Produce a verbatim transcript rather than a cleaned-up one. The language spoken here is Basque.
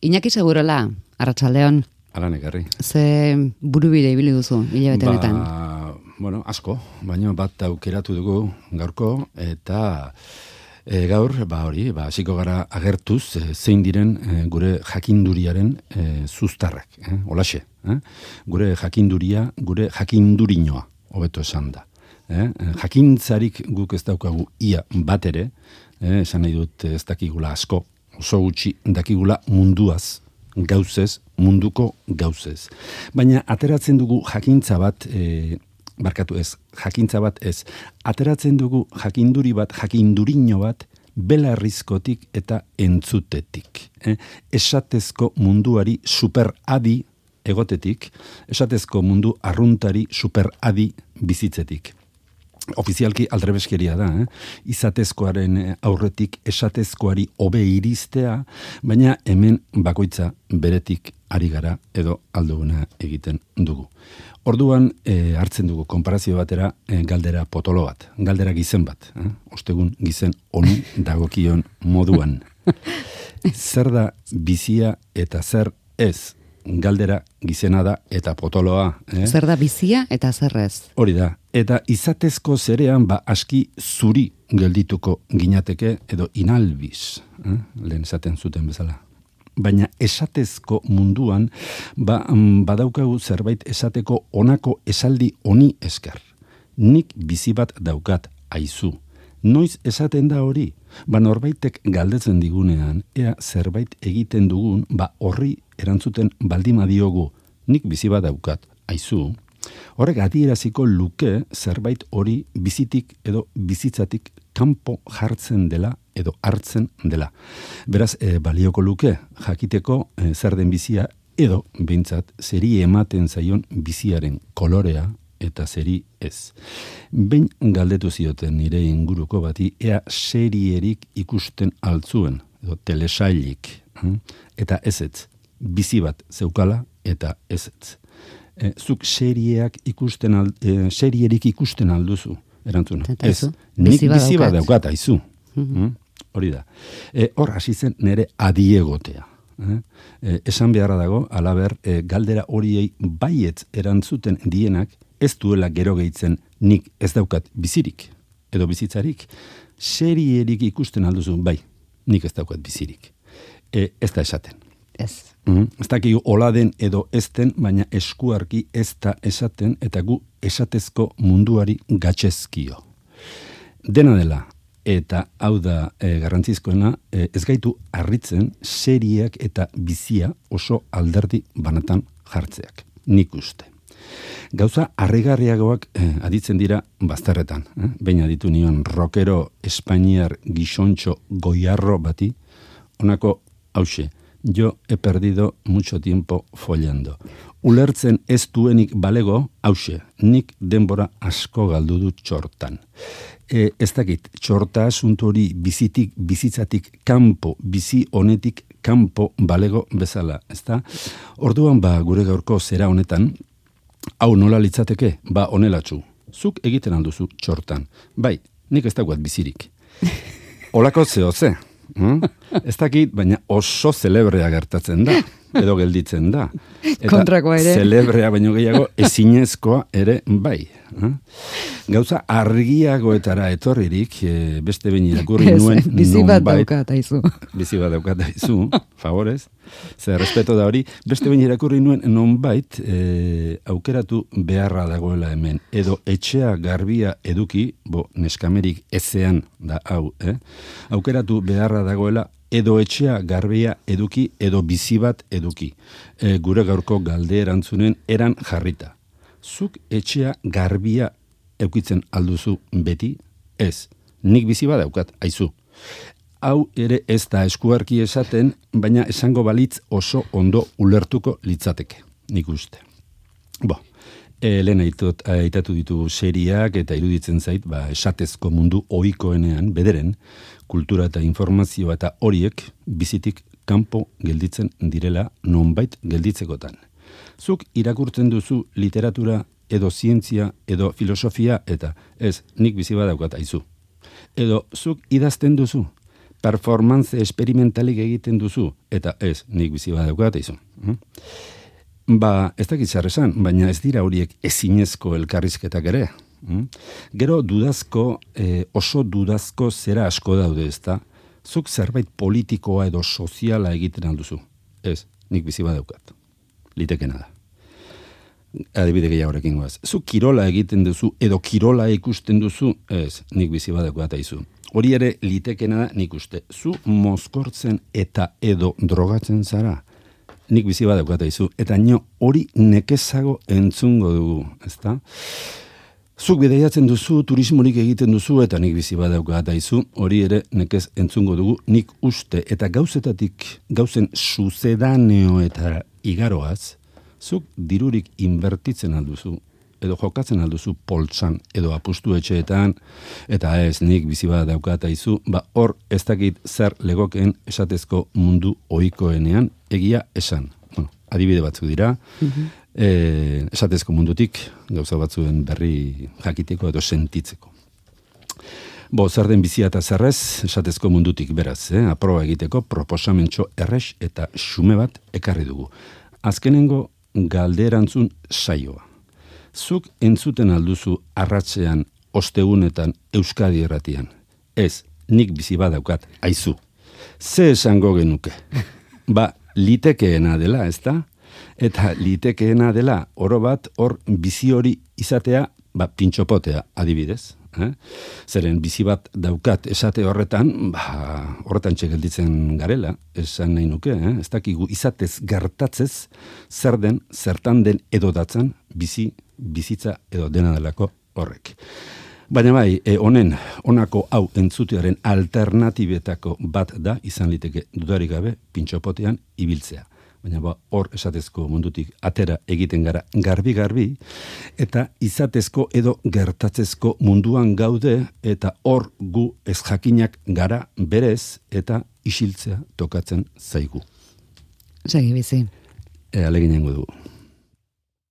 Iñaki Segurola, arratsaldeon. Alan ekarri. Ze burubide ibili duzu, hilabete honetan? Ba, bueno, asko, baina bat aukeratu dugu gaurko, eta e, gaur, ba hori, ba, hasiko gara agertuz, e, zein diren e, gure jakinduriaren e, zuztarrak, eh? Olaxe, eh? Gure jakinduria, gure jakindurinoa, hobeto esan da. Eh? Jakintzarik guk ez daukagu ia bat ere, eh? Esan nahi dut ez dakigula asko, oso gutxi dakigula munduaz, gauzez, munduko gauzez. Baina ateratzen dugu jakintza bat, e, barkatu ez, jakintza bat ez, ateratzen dugu jakinduri bat, jakindurino bat, belarrizkotik eta entzutetik. Eh? Esatezko munduari superadi egotetik, esatezko mundu arruntari superadi bizitzetik. Ofizialki aldrebeskeria da, eh? Izatezkoaren aurretik esatezkoari hobe iristea, baina hemen bakoitza beretik ari gara edo alduguna egiten dugu. Orduan eh, hartzen dugu konparazio batera eh, galdera potolo bat, galdera gizen bat, eh? Ostegun gizen onu dagokion moduan. Zer da bizia eta zer ez? Galdera gizena da eta potoloa. Eh? Zer da bizia eta zer ez? Hori da. Eta izatezko zerean ba aski zuri geldituko ginateke edo inalbiz. Eh? Lehen esaten zuten bezala. Baina esatezko munduan ba, badaukagu zerbait esateko honako esaldi honi esker. Nik bizi bat daukat aizu. Noiz esaten da hori? Ba norbaitek galdetzen digunean, ea zerbait egiten dugun, ba horri erantzuten baldima diogu, nik bizi bat daukat, aizu. Horrek adieraziko luke zerbait hori bizitik edo bizitzatik kanpo jartzen dela edo hartzen dela. Beraz, e, balioko luke jakiteko e, zer den bizia edo behintzat zeri ematen zaion biziaren kolorea eta zeri ez. Behin galdetu zioten nire inguruko bati ea serierik ikusten altzuen, edo telesailik, hm? Eta ezetz, bizi bat zeukala eta ezetz. E, zuk serieak ikusten al, e, serierik ikusten alduzu, erantzuna. Ez, nik bizi bat daukat aizu. Mm-hmm. Hm? Hori da. E, hor hasi zen nire adiegotea. Eh? E, esan beharra dago, alaber, e, galdera horiei baietz erantzuten dienak, ez duela gero gehitzen nik ez daukat bizirik, edo bizitzarik, serierik ikusten alduzu, bai, nik ez daukat bizirik. E, ez da esaten. Ez. Mm-hmm. Ez dakigu hola den edo ez den, baina eskuarki ez da esaten, eta gu esatezko munduari gatxezkio. Dena dela, eta hau da e, garrantzizkoena, e, ez gaitu harritzen serieak eta bizia oso alderdi banatan jartzeak. Nik uste. Gauza harrigarriagoak eh, aditzen dira bazterretan. Eh? Behin aditu nion rockero espainiar gizontxo goiarro bati, honako hause, yo he perdido mucho tiempo follando. Ulertzen ez duenik balego, hause, nik denbora asko galdu dut txortan. E, ez dakit, txorta asunto hori bizitik, bizitzatik kanpo, bizi honetik kanpo balego bezala, ezta? Orduan ba gure gaurko zera honetan, hau nola litzateke, ba onelatxu. Zuk egiten alduzu txortan. Bai, nik ez daukat bizirik. Olako zeo ze. Hmm? Ez dakit, baina oso zelebrea gertatzen da. Edo gelditzen da. Eta kontrakoa ere. Zelebrea baino gehiago ezinezkoa ere bai. Hmm? Gauza argiagoetara etorririk, e, beste behin irakurri nuen bizi bat daukat aizu. Bizi bat daukat aizu, favorez. Zer, respeto da hori, beste behin irakurri nuen nonbait e, aukeratu beharra dagoela hemen. Edo etxea garbia eduki, bo neskamerik ezean da hau, eh? Aukeratu beharra dagoela edo etxea garbia eduki, edo bizi bat eduki. E, gure gaurko galde erantzunen eran jarrita. Zuk etxea garbia eukitzen alduzu beti? Ez, nik bizi bat daukat, aizu. Hau ere ez da eskuarki esaten, baina esango balitz oso ondo ulertuko litzateke, nik uste. Bo, e, lehen aitot, aitatu ditugu seriak eta iruditzen zait, ba, esatezko mundu ohikoenean, bederen, kultura eta informazioa eta horiek bizitik kanpo gelditzen direla nonbait gelditzekotan. Zuk irakurtzen duzu literatura edo zientzia edo filosofia eta ez, nik bizi bat daukat aizu. Edo zuk idazten duzu, performance esperimentalik egiten duzu, eta ez, nik bizi badaukat izu. Ba, ez dakit zer esan, baina ez dira horiek ezinezko elkarrizketak ere. Gero dudazko, eh, oso dudazko zera asko daude, ezta? Zuk zerbait politikoa edo soziala egiten alduzu. Ez, nik bizi badaukat. Litekena da. Adibide gehiagorekin goaz. Zuk kirola egiten duzu edo kirola ikusten duzu, ez, nik bizi badaukat aizu. Hori ere litekena da nik uste. Zu mozkortzen eta edo drogatzen zara, nik bizi badaukat aizu. Eta nio hori nekezago entzungo dugu, ezta? Zuk bidaiatzen duzu, turismorik egiten duzu, eta nik bizi badaukat aizu, hori ere nekez entzungo dugu, nik uste, eta gauzetatik, gauzen suzedaneo eta igaroaz, zuk dirurik inbertitzen alduzu, edo jokatzen alduzu poltsan, edo apustu etxeetan, eta ez, nik bizi badaukat aizu, ba hor ez dakit zer legokeen esatezko mundu ohikoenean egia esan. Bueno, adibide batzuk dira, mm-hmm. E, esatezko mundutik gauza batzuen berri jakiteko edo sentitzeko. Bo, zer den bizia eta zerrez, esatezko mundutik beraz, eh? Aproba egiteko proposamentxo errex eta xume bat ekarri dugu. Azkenengo galderantzun saioa. Zuk entzuten alduzu arratsean, ostegunetan, Euskadi Irratian. Ez, nik bizi badaukat, aizu. Ze esango genuke? Ba, litekeena dela, ezta? Eta litekeena dela, oro bat, hor bizi hori izatea, ba, pintxopotea, adibidez. Eh? Zeren bizi bat daukat esate horretan, ba, horretan txegelditzen garela, esan nahi nuke, eh? Ez dakigu izatez gertatzez, zer den, zertan den edo datzan, bizi, bizitza edo dena delako horrek. Baina bai, e, honen, honako hau entzutearen alternatibetako bat da, izan liteke dudarik gabe, pintxopotean ibiltzea. Baina ba, hor esatezko mundutik atera egiten gara garbi-garbi, eta izatezko edo gertatzezko munduan gaude, eta hor gu ez jakinak gara berez, eta isiltzea tokatzen zaigu. Segi bizi. E, aleginengo dugu.